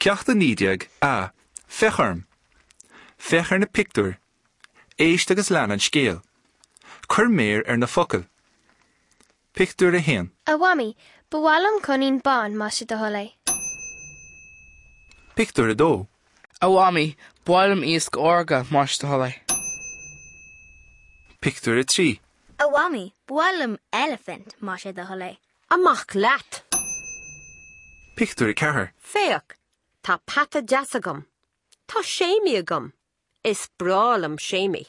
Ceacht 19 A, Féach orm! Féach ar na pictiúir. Éist agus lean an scéal. Cuir méar ar na focail. Pictiúr 1. A Mhamaí, ba mhaith liom coinín bán, más é do thoil é. Pictiúr 2. A Mhamaí, ba mhaith liom iasc órga, más é do thoil é. Pictiúr 3. A Mhamaí, ba mhaith liom eilifint, más é do thoil é. Amach leat! Pictiúr 4. Féach, tá peata deas agam. Tá Séimí agam. Is breá liom Séimí.